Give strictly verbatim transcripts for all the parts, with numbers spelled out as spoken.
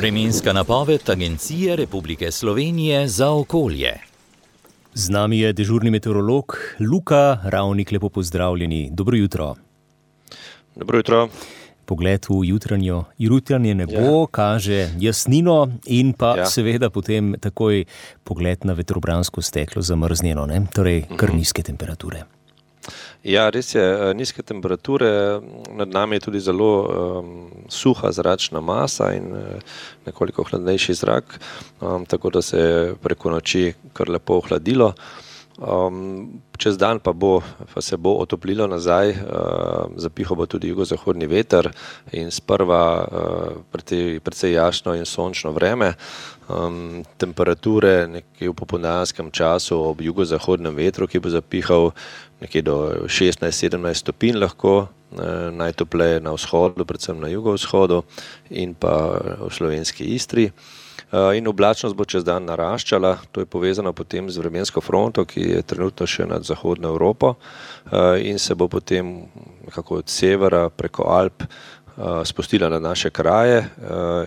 Vremenska napoved Agencije Republike Slovenije za okolje. Z nami je dežurni meteorolog Luka Ravnik, lepo pozdravljeni. Dobro jutro. Dobro jutro. Pogled v jutranjo, jutranje nebo ja. kaže jasnino in pa ja. seveda potem takoj pogled na vetrobransko steklo zamrznjeno, ne? Torej kar nizke temperature. Ja, res je, nizke temperature, nad nami je tudi zelo um, suha zračna masa in uh, nekoliko hladnejši zrak, um, tako da se je preko noči kar lepo ohladilo. Um, čez dan pa, bo, pa se bo otoplilo nazaj, uh, zapihal bo tudi jugozahodni veter in sprva uh, precej, precej jasno in sončno vreme. Um, temperature nekje v popoldanskem času ob jugozahodnem vetru, ki bo zapihal nekje do šestnajst sedemnajst stopinj lahko, uh, najtopleje na vzhodu, predvsem na jugovzhodu in pa v slovenski Istri. In oblačnost bo čez dan naraščala, to je povezano potem z vremensko fronto, ki je trenutno še nad zahodno Evropo in se bo potem nekako od severa preko Alp spustila na naše kraje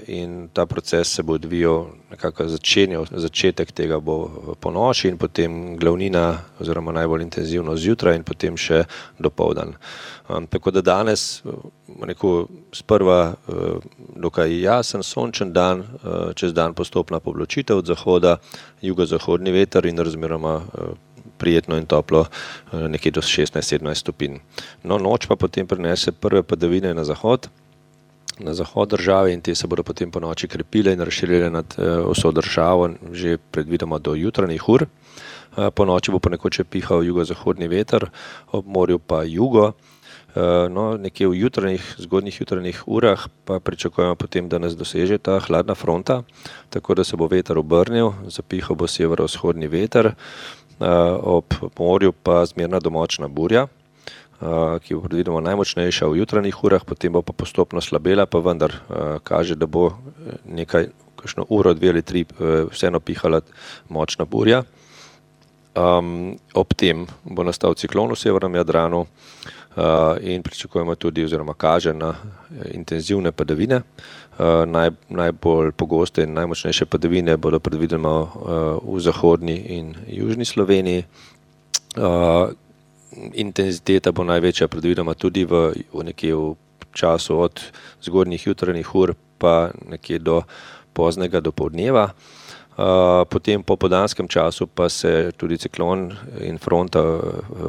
in ta proces se bo odvijal, nekako začenjal, začetek tega bo po noči in potem glavnina oziroma najbolj intenzivno zjutraj in potem še dopoldan. Tako da danes neko sprva dokaj jasen, sončen dan, čez dan postopna poblačitev od zahoda, jugozahodni veter in razmeroma prijetno in toplo, nekje do šestnajst sedemnajst stopinj. No, noč pa potem prinese prve padavine na zahod, na zahod države in te se bodo potem po noči krepile in razširile nad vso državo že predvidoma do jutranjih ur. Po noči bo ponekod še pihal jugozahodni veter, ob morju pa jugo. No, nekje v jutranjih, zgodnjih jutranjih urah pa pričakujemo potem, da nas doseže ta hladna fronta, tako da se bo veter obrnil, zapihal bo severovzhodni veter, ob morju pa zmerna do močna burja, ki bo predvidoma najmočnejša v jutranjih urah, potem bo pa postopno slabela, pa vendar kaže, da bo nekaj, kakšno uro, dve ali tri vseeno pihala močna burja. Um, ob tem bo nastal ciklon v severnem Jadranu uh, in pričakujemo tudi oziroma kaže na intenzivne padavine. Uh, naj, najbolj pogoste in najmočnejše padavine bodo predvidoma uh, v zahodni in južni Sloveniji. Uh, intenziteta bo največja predvidoma tudi v, v nekje v času od zgodnjih jutranjih ur pa nekje do poznega dopoldneva. Uh, potem po popoldanskem času pa se tudi ciklon in fronta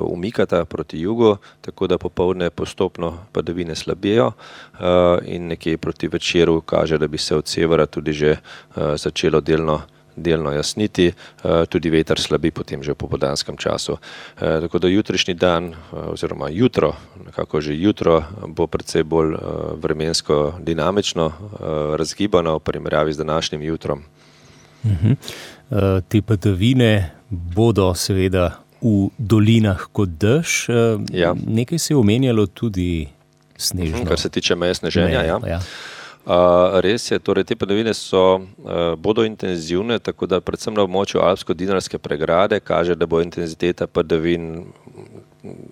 umikata proti jugu, tako da popoldne postopno padavine slabijo uh, in nekje proti večeru kaže, da bi se od severa tudi že uh, začelo delno, delno jasniti, uh, tudi veter slabi potem že v popoldanskem času. Uh, tako da jutrišnji dan uh, oziroma jutro, nekako že jutro bo precej bolj uh, vremensko dinamično, uh, razgibano v primerjavi z današnjim jutrom. Uh-huh. Uh, te padavine bodo seveda v dolinah kot dež. Uh, ja. Nekaj se je omenjalo tudi snežno. Kar se tiče meje sneženja, ja. ja. Uh, res je, torej te padavine so, uh, bodo intenzivne, tako da predvsem na območju Alpsko-Dinarske pregrade kaže, da bo intenziteta padavin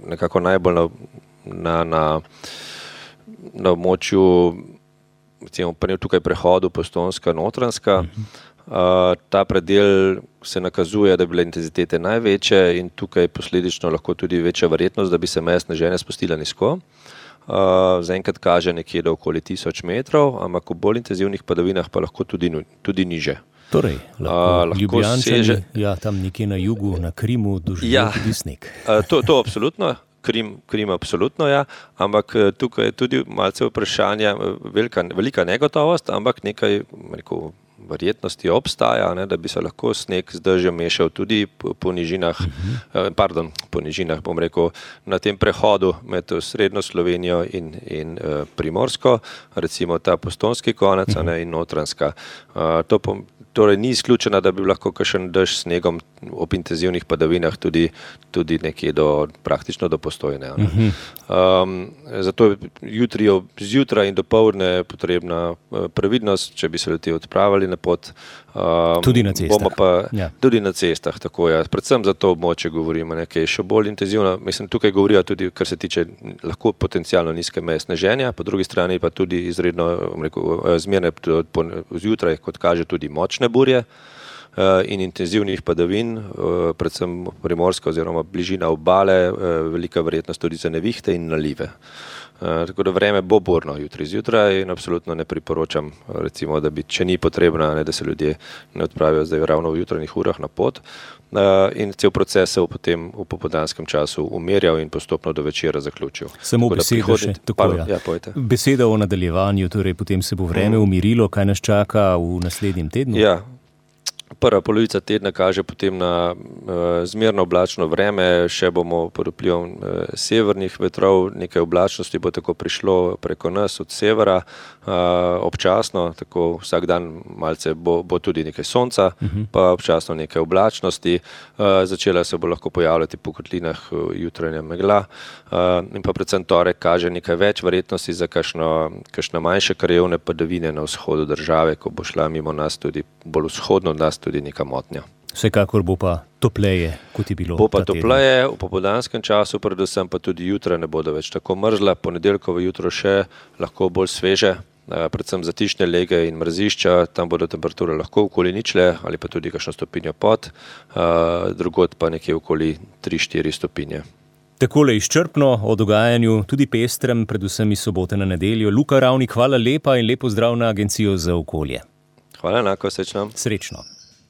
nekako najbolj na, na, na, na območju, recimo, tukaj prehodu Postojnska-Notranjska. Uh-huh. Uh, ta predel se nakazuje, da bi bile intenzitete največje in tukaj posledično lahko tudi večja verjetnost, da bi se meja sneženja spustila nizko. Uh, zaenkrat kaže nekje do okoli tisoč metrov, ampak v bolj intenzivnih padavinah pa lahko tudi, tudi niže. Torej, lahko, uh, lahko Ljubljančani, seže... ja, tam nekje na jugu, na Krimu, doživijo ja, tudi sneg. Uh, to, to absolutno. Krim, Krim absolutno, ja, ampak tukaj je tudi malce vprašanja, velika, velika negotovost, ampak nekaj, rekel, verjetnosti obstaja, ne, da bi se lahko sneg z dežjem mešal tudi po, po nižinah, uh-huh. pardon, po nižinah, bom rekel, na tem prehodu med srednjo Slovenijo in, in uh, Primorsko, recimo ta postojnski konec, uh-huh. ne, in Notranjska. Uh, to pom- Torej ni izključena, da bi lahko kakšen dež s snegom ob intenzivnih padavinah tudi, tudi nekje do, praktično do Postojne. Um, zato je jutri, zjutraj in dopoldne potrebna previdnost, če bi se ljudje odpravili na jutranje pot. Um, tudi na cestah. Pa, ja. Tudi na cestah, tako je. Ja. Predvsem za to območje govorimo, nekaj še bolj intenzivno. Mislim, tukaj govorijo tudi, kar se tiče lahko potencialno nizke meje sneženja, po drugi strani pa tudi izredno rekel, zmerne zjutraj, kot kaže, tudi močne burje in intenzivnih padavin, predvsem primorska oziroma bližina obale, velika verjetnost tudi za nevihte in nalive. Tako da vreme bo burno jutri zjutraj in absolutno ne priporočam, recimo, da bi, če ni potrebno, ne, da se ljudje ne odpravijo zdaj ravno v jutranjih urah na pot in cel proces se v potem v popoldanskem času umirjal in postopno do večera zaključil. Samo beseda še, tako ja. Ja, beseda o nadaljevanju, torej potem se bo vreme umirilo, kaj nas čaka v naslednjem tednu? Ja. Prva polovica tedna kaže potem na uh, zmerno oblačno vreme, še bomo pod vplivom uh, severnih vetrov, nekaj oblačnosti bo tako prišlo preko nas od severa, uh, občasno, tako vsak dan malce bo, bo tudi nekaj sonca, uh-huh. pa občasno nekaj oblačnosti, uh, začela se bo lahko pojavljati po kotlinah uh, jutranja megla uh, in pa predvsem torek kaže nekaj več verjetnosti za kakšno, kakšno manjše krajevne padavine na vzhodu države, ko bo šla mimo nas tudi bolj vzhodno od nas tudi neka motnja. Vsekakor bo pa topleje, kot je bilo. Bo pa topleje, v popoldanskem času, predvsem pa tudi jutra ne bodo več tako mrzla, ponedeljkovo jutro še lahko bolj sveže, predvsem zatišne lege in mrzišča, tam bodo temperature lahko okoli ničle ali pa tudi kakšno stopinjo pod, drugod pa nekje okoli tri štiri stopinje. Takole izčrpno o dogajanju, tudi pestrem, predvsem iz sobote na nedeljo. Luka Ravnik, hvala lepa in lepo zdrav na Agencijo za okolje. Hvala enako, srečno. Srečno.